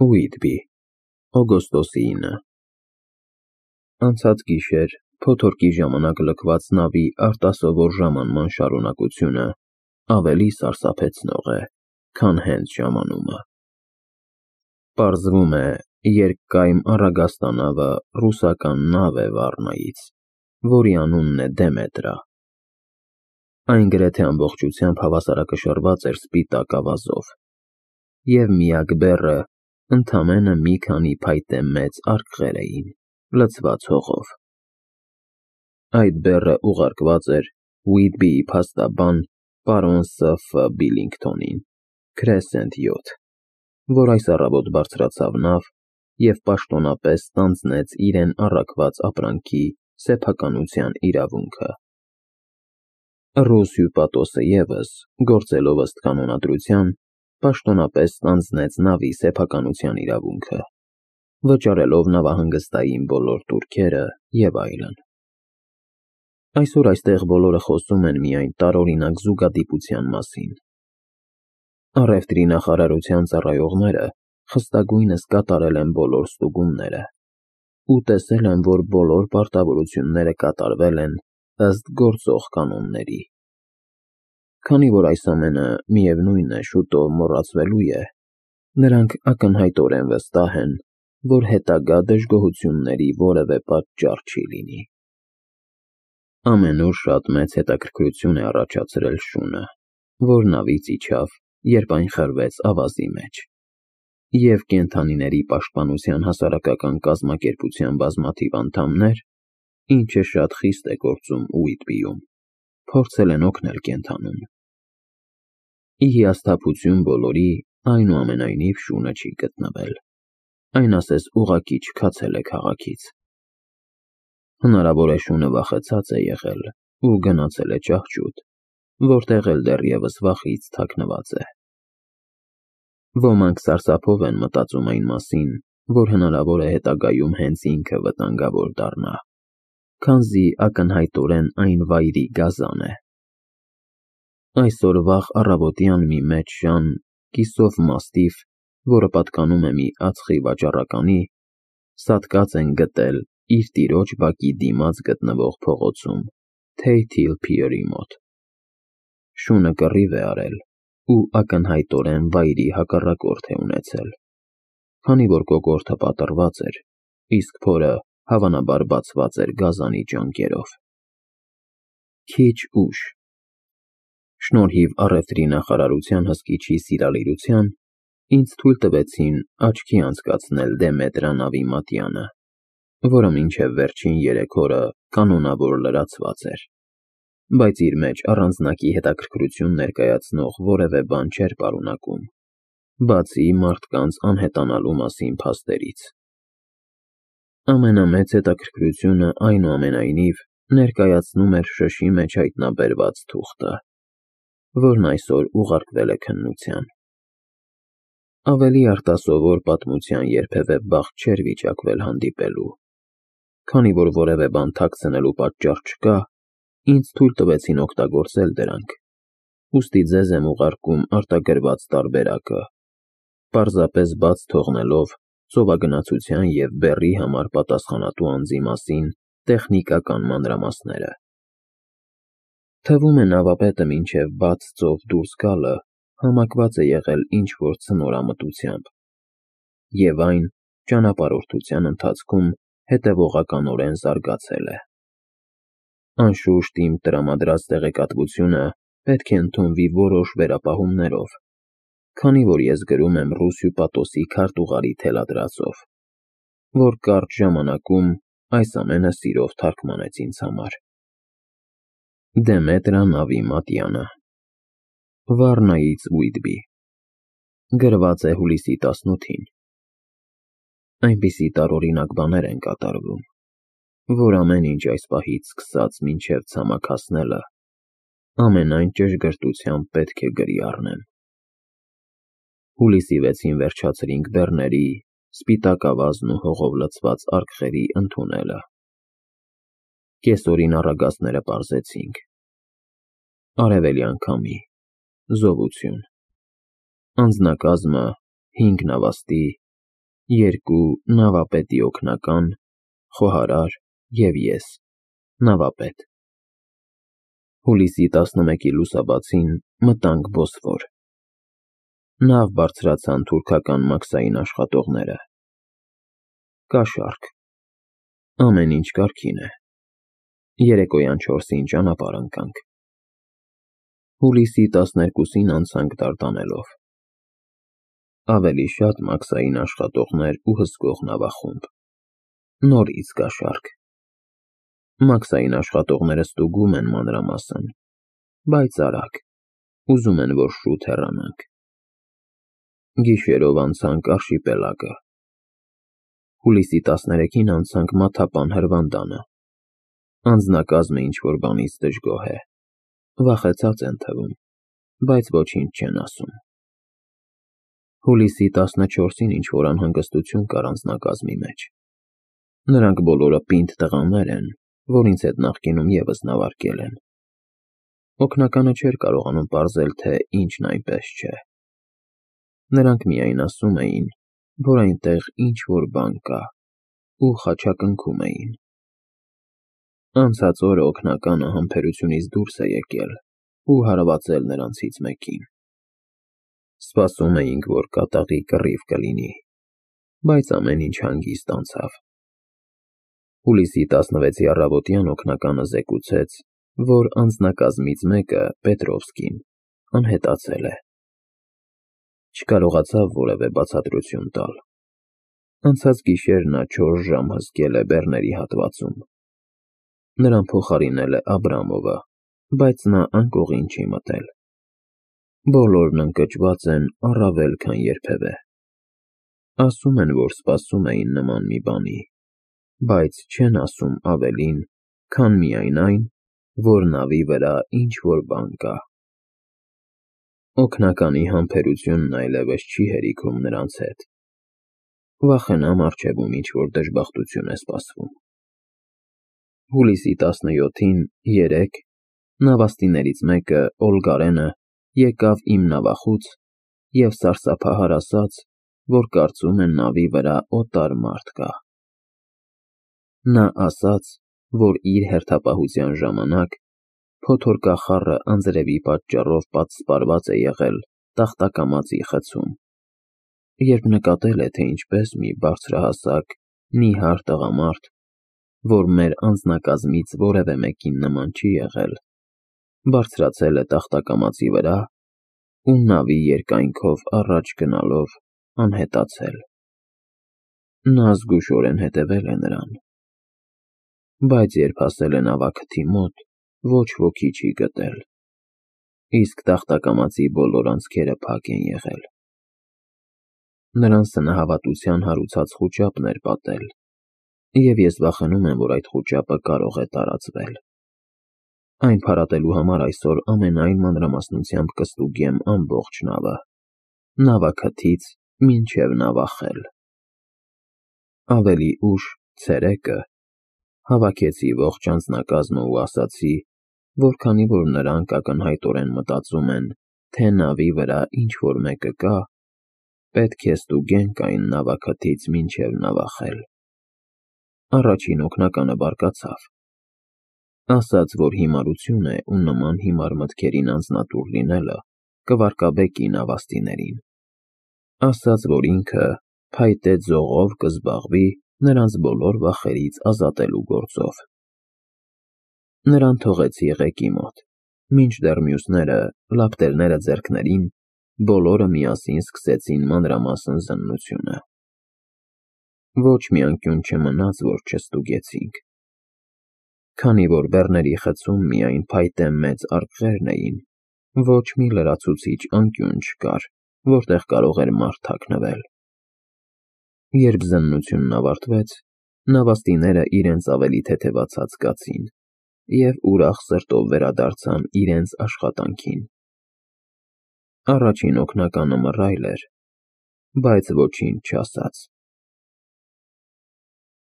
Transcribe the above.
Ուիտբի, օգոստոսի 9։ Անցած գիշեր փոթորկի ժամանակ լքված նավի արտասովոր ժամանման շարունակությունը ավելի սարսափեցնող է, քան հենց ժամանումը։ Պարզվում է, երկկայմ առագաստանավը ռուսական նավ է Վառնայից, որի անունն է Դեմետրա։ Այն գրեթե ամբողջությամբ հավասարակշռված էր սպիտակ ավազով, և միակ բեռը ընդամենը մի քանի փայտե մեծ արկղեր էին, լցված հողով։ Այդ բեռը ուղարկված էր Ուիտբիի փաստաբան պարոն Ս.Ֆ. Բիլինգթոնին, Քրեսենտ 7, որ այս առավոտ բարձրացավ նավ և պաշտոնապես ստանձնեց իրեն առաքված ապրանքի սեփականության իրավունքը։ Ռուս հյուպատոսը ևս, գործելով ըստ կանոնադրության, պաշտոնապես ստանձնեց նավի սեփականության իրավունքը, վճարելով նավահանգստային բոլոր տուրքերը և այլն։ Այսօր այստեղ բոլորը խոսում են միայն տարօրինակ զուգադիպության մասին։ Առևտրի նախարարության ծառայողները խստագույնս կատարել են բոլոր ստուգումները ու տեսել են, որ բոլոր պարտավորությունները կատարվել են ըստ գործող կանոնների։ Քանի որ այս ամենը, միևնույն է, շուտով մոռացվելու է, նրանք ակնհայտորեն վստահ են, որ հետագա դժգոհությունների որևէ պատճառ չի լինի։ Ամենուր շատ մեծ հետաքրքրություն է առաջացրել շունը, որ նավից իջավ, երբ այն խրվեց ավազի մեջ, և կենդանիների պաշտպանության հասարակական կազմակերպության բազմաթիվ անդամներ, ինչը շատ խիստ է գործում Ուիտբիում, փորձել են օգնել կենդանուն։ Ի հիասթափություն բոլորի, այնուամենայնիվ շունը չի գտնվել, այն ասես ուղղակի չքացել է քաղաքից։ Հնարավոր է շունը վախեցած է եղել ու գնացել է ճահճուտ, որտեղ էլ դեռևս վախից թաքնված է։ Ոմանք սարսափով են մտածում այն մասին, որ հնարավոր է հետագայում հենց ինքը վտանգավոր դառնա, քանզի ակնհայտորեն այն վայրի գազան է։ Այսօր վաղ առավոտյան մի մեծ շան, կիսով մաստիֆ, որը պատկանում է մի ածխի վաճառականի, սատկած են գտել իր տիրոջ բակի դիմաց գտնվող փողոցում, Թեյթիլ Փիերի մոտ։ Շունը կռիվ է արել ու ակնհայտորեն վայրի հակառակորդ է ունեցել, քանի որ կոկորդը պատռված էր, իսկ փորը հավանաբար բացված էր գազանի ճանկերով։ Քիչ ուշ, շնորհիվ առևտրի նախարարության հսկիչի սիրալիրության, ինձ թույլ տվեցին աչքի անցկացնել Դեմետրա նավի մատյանը, որը մինչև վերջին 3 օրը կանոնավոր լրացված էր, բայց իր մեջ առանձնակի հետաքրքրություն ներկայացնող որևէ բան չէր պարունակում, բացի մարդկանց անհետանալու մասին փաստերից։ Ամենամեծ հետաքրքրությունը, այնուամենայնիվ, ներկայացնում էր շշի մեջ հայտնաբերված թուղթը, որն այսօր ուղարկվել է քննության։ Ավելի արտասովոր պատմության երբևէ բախտ չէր վիճակվել հանդիպելու։ Քանի որ որևէ բան թաքցնելու պատճառ չկա, ինձ թույլ տվեցին օգտագործել դրանք, ուստի ձեզ եմ ուղարկում արտագրված տարբերակը, պարզապես բաց թողնելով ծովագնացության և բեռի համար պատասխանատու անձի մասին տեխնիկական մանրամասները։ Թվում է նավապետը մինչև բաց ծով դուրս գալը համակված է եղել ինչ-որ ցնորամտությամբ, և այն ճանապարհորդության ընթացքում հետևողականորեն զարգացել է։ Անշուշտ իմ տրամադրած տեղեկատվությունը պետք է ընդունվի որոշ վերապահումներով, քանի որ ես գրում եմ ռուս հյուպատոսի քարտուղարի թելադրածով, որ կարճ ժամանակում այս ամենը սիրով թարգմանեց ինձ համար։ Դեմետրա նավի մատյանը, Վառնայից Ուիտբի, գրված է հուլիսի 18-ին։ Այնպիսի տարօրինակ բաներ են կատարվում, որ ամեն ինչ այս պահից սկսած մինչև ցամաք հասնելը ամենայն ճշգրտությամբ պետք է գրի առնեմ։ Հուլիսի 6-ին վերջացրինք բեռների, սպիտակ ավազն ու հողով լցված արկղերի ընդունելը։ Կեսօրին առագաստները պարզեցինք։ Արևելյան քամի, զովություն։ Անձնակազմը 5 նավաստի, 2 նավապետի օգնական, խոհարար և ես, նավապետ։ Հուլիսի 11-ի լուսաբացին մտանք Բոսֆոր։ Նավ բարձրացան թուրքական մաքսային աշխատողները։ Կաշառք։ Ամեն ինչ կարգին է։ Երեկոյան 4-ին ճանապարհ ընկանք։ Հուլիսի 12-ին անցանք Դարդանելով։ Ավելի շատ մաքսային աշխատողներ ու հսկող նավախումբ։ Նորից կաշառք։ Մաքսային աշխատողները ստուգում են մանրամասն, բայց արագ, ուզում են, որ շուտ հեռանանք։ Գիշերով անցանք Արշիպելագը։ Հուլիսի 13-ին անցանք Մաթապան հրվանդանը։ Անձնակազմը ինչ-որ բանից դժգոհ է։ Վախեցած են թվում, բայց ոչինչ չեն ասում։ Հուլիսի 14-ին ինչ-որ անհանգստություն կար անձնակազմի մեջ։ Նրանք բոլորը պինդ տղաներ են, որ ինձ հետ նախկինում ևս նավարկել են։ Օգնականը չէր կարողանում պարզել, թե ինչն այնպես չէ։ Նրանք միայն ասում էին, որ այնտեղ ինչ-որ բան կա, ու խաչակնքում էին։ Անցած օրը օգնականը համբերությունից դուրս է եկել ու հարվածել նրանցից մեկին։ Սպասում էինք, որ կատաղի կռիվ կլինի, բայց ամեն ինչ հանգիստ անցավ։ Հուլիսի 16-ի առավոտյան օգնականը զեկուցեց, որ անձնակազմից մեկը, Պետրովսկին, անհետացել է։ Չկարողացավ որևէ բացատրություն տալ։ Անցած գիշեր նա 4 ժամ հսկել է բեռների հատվածում։ Նրան փոխարինել է Աբրամովը, բայց նա անկողին չի մտել։ Բոլորն ընկճված են առավել, քան երբևէ։ Ասում են, որ սպասում էին նման մի բանի, բայց չեն ասում ավելին, քան միայն այն, որ նավի վրա ինչ-որ բան կա։ Օգնականի համբերությունն այլևս չի հերիքում նրանց հետ։ Վախենամ առջևում ինչ-որ դժբախտություն է սպասվում։ Հուլիսի 17-ին 3 նավաստիներից մեկը, Օլգարենը, եկավ իմ նավախուց և սարսափահար ասաց, որ կարծում է նավի վրա օտար մարդ կա։ Նա ասաց, որ իր հերթապահության ժամանակ փոթորկախառը անձրևի պատճառով պատսպարված է եղել տախտակամածի խցում, երբ նկատել է, թե ինչպես մի բարձրահասակ, նիհար տղամարդ, որ մեր անձնակազմից որևէ մեկին նման չի եղել, բարձրացել է տախտակամածի վրա ու նավի երկայնքով առաջ գնալով անհետացել։ Նա զգուշորեն հետևել է նրան, բայց երբ հասել է նավաքթի մոտ, ոչ ոքի չի գտել, իսկ տախտակամածի բոլոր անցքերը փակ են եղել։ Նրան սնահավատության հարուցած խուճապն էր պատել, և ես վախենում եմ, որ այդ խուճապը կարող է տարածվել։ Այն փարատելու համար այսօր ամենայն մանրամասնությամբ կստուգեմ ամբողջ նավը, նավաքթից մինչև նավախել։ Ավելի ուշ, ցերեկը, հավաքեցի ողջ անձնակազմը ու ասացի, որ քանի որ նրանք ակնհայտորեն մտածում են, թե նավի վրա ինչ-որ մեկը կա, պետք է ստուգենք այն նավաքթից մինչև նավախել։ Առաջին օգնականը բարկացավ։ Ասաց, որ հիմարություն է ու նման հիմար մտքերին անձնատուր լինելը կվարկաբեկի նավաստիներին։ Ասաց, որ ինքը փայտե ձողով կզբաղվի նրանց բոլոր վախերից ազատելու գործով։ Նրան թողեցի ղեկի մոտ, մինչդեռ մյուսները, լապտերները ձեռքներին, բոլորը միասին սկսեցին մանրամասն զննությունը։ Ոչ մի անկյուն չմնաց, որ չստուգեցինք։ Քանի որ բեռների խցում միայն փայտե մեծ արկղերն էին, ոչ մի լրացուցիչ անկյուն չկար, որտեղ կարող էր մարդ թաքնվել։ Երբ զննությունն ավարտվեց, նավաստիները իրենց ավելի թեթևացած զգացին և ուրախ սրտով վերադարձան իրենց աշխատանքին։ Առաջին օգնականը մռայլ էր, բայց ոչինչ չասաց։